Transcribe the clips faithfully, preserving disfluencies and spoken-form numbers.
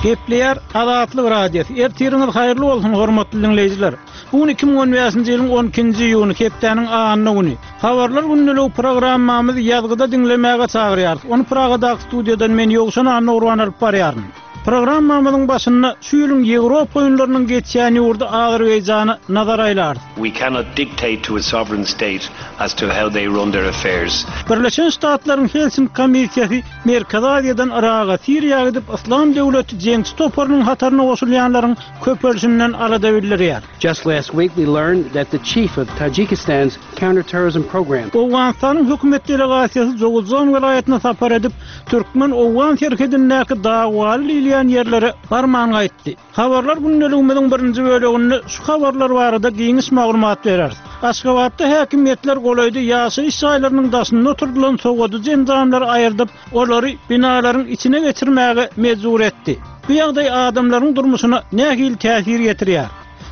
Gepleýär Azatlyk Radiosy. Ertiriňiz haýyrly bolsun hormatly dinleýjiler. Bu gün iki müň on bäşinji ýylyň on ikinji iýuny hepdäniň anna güni. Habarlar gündeligi programmamyzy ýazgyda diňlemäge çagyrýarys. Ony Pragadaky studiýadan men Ýowşan Annagurban alyp barýaryn. Programmamyzyň başynda şu ýylyň Ýewropa oýunlarynyň geçýän ýurdy Azerbaýjana nazar aýlarys. We cannot dictate to a sovereign state as to how they run their affairs. Birleşen Ştatlaryň Helsinki komissiýasy Merkezi Aziýadan Yraga, Siriýa gidip Yslam döwleti jeňçi toparynyň hataryna goşulýanlaryň köpelişinden alada bildirýär. Just last week we learned that the chief of Tajikistan's counterterrorism program. Owganystanyň hökümet delegasiýasy Jowuzjan welaýatyna sapar edip, Türkmen-Owgan serhedindäki dagwaly diýilýän ýerlere barman gaýtdy. Habarlar gündeligimiziň birinji böleginde şu habarlar barada giňiş maglumat bereris. Aşgabatda häkimiýetler golaýda ýaşaýyş jaýlarynyň daşynda oturdylan sowadyjy enjamlary aýyrdyp, olary binalaryň içine geçirmäge mejbur etdi. Bu ýagdaý adamlaryň durmuşyna nähili täsir ýetirýär?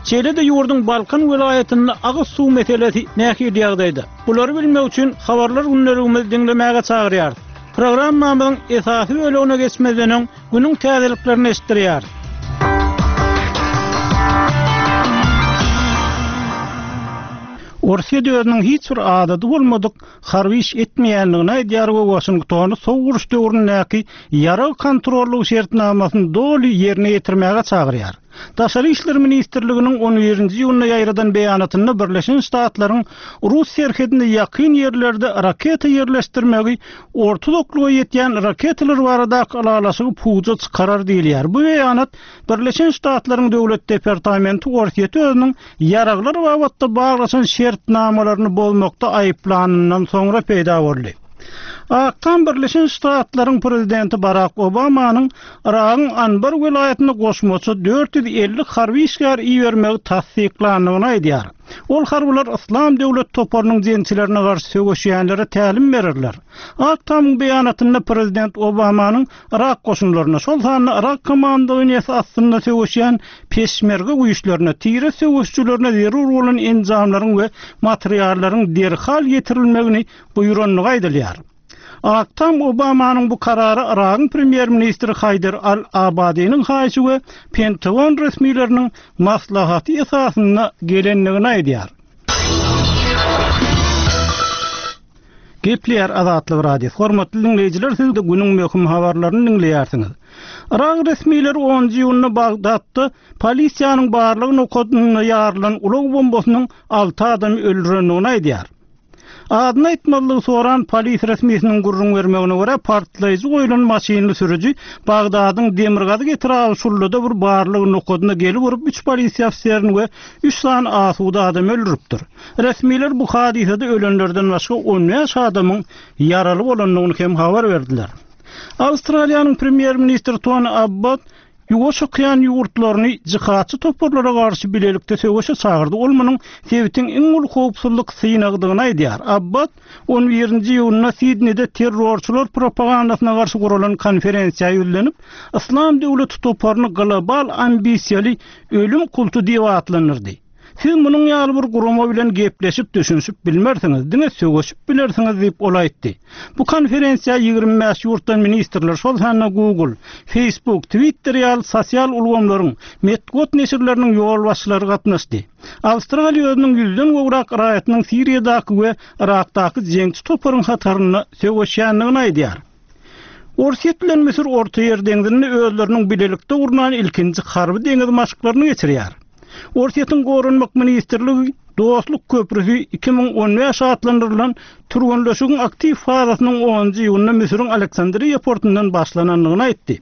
Şeýle-de ýurduň Balkan welaýatynda agyz suw meselesi nähili ýagdaýda? Bulary bilmek üçin habarlar gündeligimizi diňlemäge çagyrýarys. Programmamyzyň esasy bölegine geçmezden öň günüň täzeliklerini eşitdirýäris. Orsýet özüniň hiç bir adady bolmadyk harby iş etmeýändigini aýdýar we Waşingtony sowuk uruş döwründäki ýarag kontrollyk şertnamasyny doly ýerine ýetirmäge çagyrýar. Daşary işler ministrliginiň on birinji iýunda ýaýradan beýanatynda Birleşen Ştatlaryň Rus serhedine ýakyn ýerlerde raketa ýerleşdirmegi orta uzaklyga ýetýän raketalar baradaky ylalaşygy puja çykarar diýilýär. Bu beýanat Birleşen Ştatlaryň Döwlet Departamenti Orsýeti özüniň ýaraglar babatda baglaşan şertnamalaryny bozmakda aýyplanyndan soňra peýda boldy. Ak Tam Birleşen Ştatlaryň prezidenti Barack Obamanyň Yragyň Anbar welaýatyna goşmaça dört ýüz elli harby işgär ibermegi tassyklandygyny aýdýar. Ol harbylar Yslam döwlet toparynyň jeňçilerine garşy söweşýänlere tälim bererler. Ak Tamyň beýanatynda prezident Obamanyň Yrak goşunlaryna, şol sanda Yrak komandowaniýasy astynda söweşýän peşmerge güýçlerine, tire söweşçilerine zerur bolan enjamlaryň we materiallaryň derhal ýetirilmegini buýrandygy aýdylýar. Ak Tam Obamanyň bu karary Yragyň premýer-ministri Haýdar Al-Abadiniň haýyşy we Pentagon resmileriniň maslahaty esasynda gelendigini aýdýar. Gepleýär Azatlyk Radiosy. Hormatly dinleýjiler, siz de günüň möhüm habarlaryny dinleýärsiňiz. Yrak resmileri onunjy iýunda Bagdatda polisiýanyň barlyk nokadynda ýarylan ulag bombasynyň alty adamy öldürendigini aýdýar. Adyny aýtmazlygy soran polis resmisiniň gürrüň bermegine görä partlaýjy goýlan maşynly sürüji Bagdadyň demirgazyk etraby Şullada bir barlyk nokadyna gelip urup üç polisiýa ofiserini we üç sany asuda adam öldüripdir. Resmiler bu hadysada ölenlerden başga on bäş adamyň ýaraly bolandygyny hem habar berdiler. Awstraliýanyň premýer-ministri Tony Abbott Ýuwaş okean ýurtlaryny jihatçy toparlara garşy bilelikde söweşe çagyrdy. Ol munuň sebitiň iň uly howpsuzlyk synagdygyny aýdýar. Abbott on birinji iýunda Sidneyde terrorçylar propagandasyna garşy guralan konferensiýa ýüzlenip, Yslam döwleti toparyny global ambisiýaly ölüm kulty diýip atlandyrdy. Siz munuň ýaly bir gurama bilen gepleşip düşünişip bilmersiňiz, diňe söweşip bilersiňiz diýip ol aýtdy. Bu konferensiýa ýigrimi bäş ýurtdan ministrler, şol sanda Google, Facebook, Twitter ýaly sosial ulgamlaryň, metbugat neşirleriniň ýolbaşçylary gatnaşdy. Awstraliýa özüniň ýüzden gowrak raýatynyň Siriýadaky we Yrakdaky jeňçi toparyň hatarynda söweşýändigini aýdýar. Orsýet bilen Müsür Orta Ýer deňzinde özleriniň bilelikde gurnan ilkinji harby deňiz maşklaryny geçirýär. Orsýetiň Goranmak ministrligi Dostluk köprüsi iki müň on bäş atlandyrylan türgenleşigiň aktiw fazasynyň onunjy iýunda Müsüriň Aleksandriýa portundan başlanandygyny aýtdy.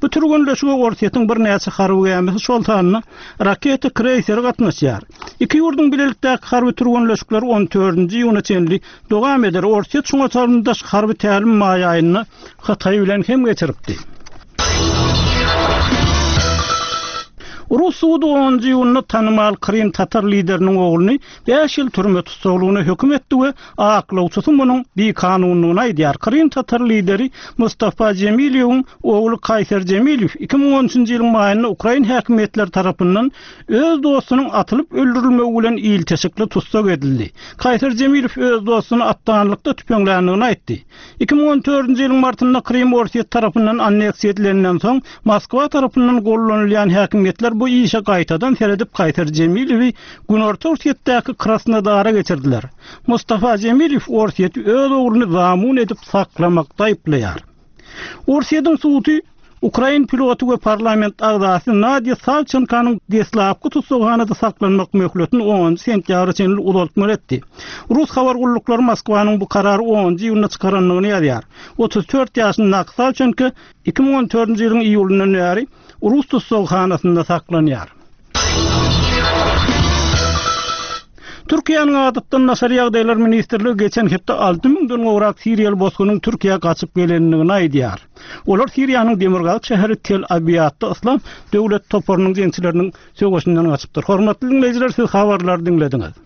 Bu türgenleşige Orsýetiň birnäçe harby gämisi, şol sanda raketa kreýseri gatnaşýar. Iki ýurduň bilelikdäki harby türgenleşikleri on dördünji iýuna çenli dowam eder. Orsýet şuňa çalymdaş harby tälim maý aýynda Hytaý bilen hem geçiripdi. Rus sudy onunjy iýunda tanymal Krym tatar lideriniň ogluny bäş ýyl türme tussaglygyna höküm etdi we aklawçysy munuň bikanunlygyny aýdýar. Krym tatar lideri Mustafa Jemilewiň ogly Kaýser Jemilew iki müň on üçünji ýylyň maýynda ukrain häkimiýetleri tarapyndan öz dostunyň atylyp öldürilmegi bilen ilteşikli tussag edildi. Kaýser Jemilew öz dostuny atdanlykda tüpeňländigini aýtdy. Iki müň on dördünji ýylyň martynda Krym Orsýet tarapyndan anneksiýa edilenden soň, Moskwa tarapyndan gollanylýan häkimiýetler bu işe gaýtadan seredip Kaýser Jemilewi Günorta Orsýetdäki Krasnodara geçirdiler. Mustafa Jemilew Orsýeti öz ogluny zamun edip saklamakda aýyplaýar. Orsýetiň sudy ukrain piloty we parlament agzasy Nadýa Sawçenkanyň deslapky tussaghanada saklanmak möhletini onunjy sentýabra çenli uzaltmaly etdi. Rus habar gulluklary Moskwanyň bu karary onunjy iýunda çykarandygyny ýazýar. Otuz dört ýaşyndaky Sawçenko iki müň on dördünji ýylyň iýulyndan bäri rus tussaghanasynda saklanýar. Türkiýäniň Adatdan daşary ýagdaýlar ministrligi geçen hepde alty müňden gowrak siriýaly bosgunyň Türkiýä gaçyp gelendigini aýdýar. Olar Siriýanyň demirgazyk şäheri Tel Abiýatda Yslam döwlet toparynyň jeňçileriniň söweşinden gaçypdyr. Hormatly diňleýjiler, siz habarlary diňlediňiz.